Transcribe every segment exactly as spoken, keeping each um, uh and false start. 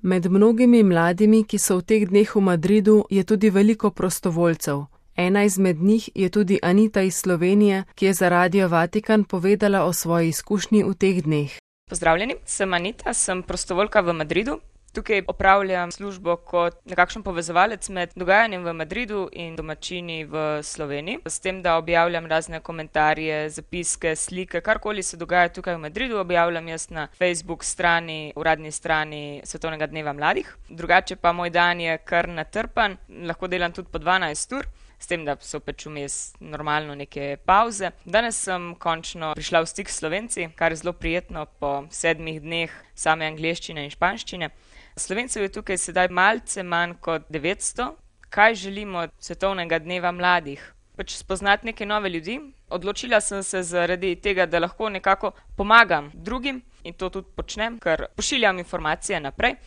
Med mnogimi mladimi, ki so v teh dneh v Madridu, je tudi veliko prostovoljcev. Ena izmed njih je tudi Anita iz Slovenije, ki je za Radio Vatikan povedala o svoji izkušnji v teh dneh. Pozdravljeni, sem Anita, sem prostovoljka v Madridu. Tukaj opravljam službo kot nekakšen povezovalec med dogajanjem v Madridu in domačini v Sloveniji. S tem, da objavljam razne komentarje, zapiske, slike, karkoli se dogaja tukaj v Madridu, objavljam jaz na Facebook strani, uradni strani Svetovnega dneva mladih. Drugače pa moj dan je kar natrpan, lahko delam tudi po dvanajst ur. S tem, da so pač vmes normalno neke pauze. Danes sem končno prišla v stik s Slovenci, kar je zelo prijetno po sedmih dneh same angleščine in španščine. Slovencev je tukaj sedaj malce manj kot devetsto. Kaj želimo od Svetovnega dneva mladih? Pač spoznati neke nove ljudi. Odločila sem se zaradi tega, da lahko nekako pomagam drugim in to tudi počnem, ker pošiljam informacije naprej.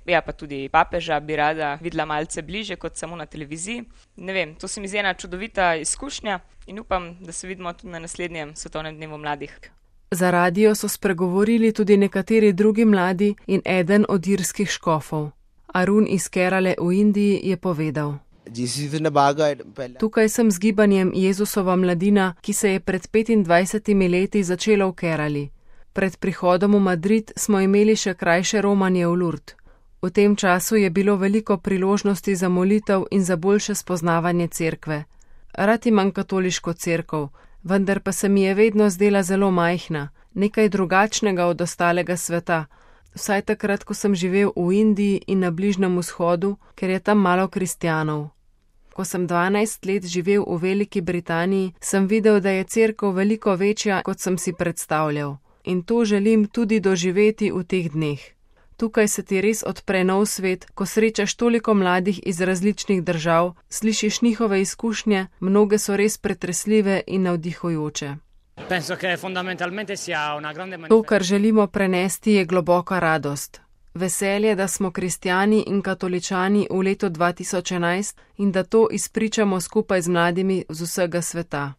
Ja, pa tudi papeža bi rada videla malce bliže kot samo na televiziji. Ne vem, to se mi zdi ena čudovita izkušnja in upam, da se vidimo tudi na naslednjem Svetovnem dnevu mladih. Za radio so spregovorili tudi nekateri drugi mladi in eden od irskih škofov. Arun iz Kerale v Indiji je povedal: Tukaj sem z gibanjem Jezusova mladina, ki se je pred petindvajsetimi leti začelo v Kerali. Pred prihodom v Madrid smo imeli še krajše romanje v Lourdes. V tem času je bilo veliko priložnosti za molitev in za boljše spoznavanje cerkve. Rad imam katoliško cerkev, vendar pa se mi je vedno zdela zelo majhna, nekaj drugačnega od ostalega sveta, vsaj takrat, ko sem živel v Indiji in na Bližnjem vzhodu, ker je tam malo kristjanov. Ko sem dvanajst let živel v Veliki Britaniji, sem videl, da je cerkev veliko večja, kot sem si predstavljal. In to želim tudi doživeti v teh dneh. Tukaj se ti res odpre nov svet, ko srečaš toliko mladih iz različnih držav, slišiš njihove izkušnje, mnoge so res pretresljive in navdihujoče. To, kar želimo prenesti, je globoka radost. Veselje, da smo kristjani in katoličani v letu dva tisoč enajst in da to izpričamo skupaj z mladimi z vsega sveta.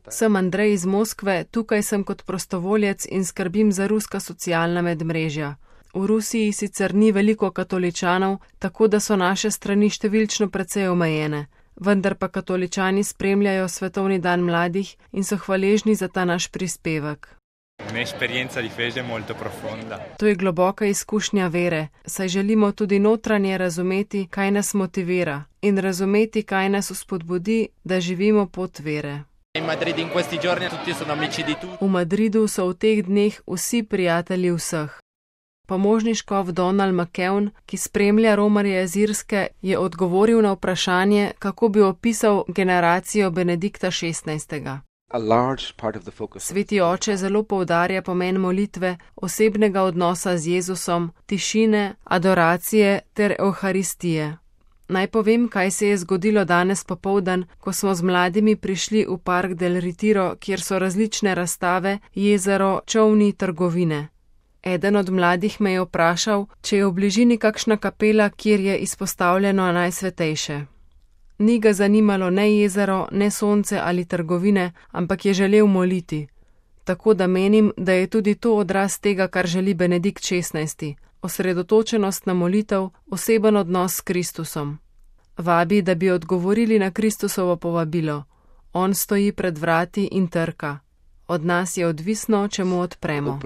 Sem Andrej iz Moskve, tukaj sem kot prostovoljec in skrbim za ruska socialna medmrežja. V Rusiji sicer ni veliko katoličanov, tako da so naše strani številčno precej omejene, vendar pa katoličani spremljajo Svetovni dan mladih in so hvaležni za ta naš prispevek. To je globoka izkušnja vere, saj želimo tudi notranje razumeti, kaj nas motivira in razumeti, kaj nas vzpodbudi, da živimo pot vere. V Madridu so v teh dneh vsi prijatelji vseh. Pomožni škof Donald McKeown, ki spremlja romarje iz Irske, je odgovoril na vprašanje, kako bi opisal generacijo Benedikta šestnajstega. Sveti oče zelo poudarja pomen molitve, osebnega odnosa z Jezusom, tišine, adoracije ter evharistije. Naj povem, kaj se je zgodilo danes popoldan, ko smo z mladimi prišli v Park del Retiro, kjer so različne razstave, jezero, čolni, trgovine. Eden od mladih me je vprašal, če je v bližini kakšna kapela, kjer je izpostavljeno najsvetejše. Ni ga zanimalo ne jezero, ne sonce ali trgovine, ampak je želel moliti. Tako da menim, da je tudi to odraz tega, kar želi Benedikt šestnajsti. Osredotočenost na molitev, oseben odnos s Kristusom. Vabi, da bi odgovorili na Kristusovo povabilo. On stoji pred vrati in trka. Od nas je odvisno, če mu odpremo.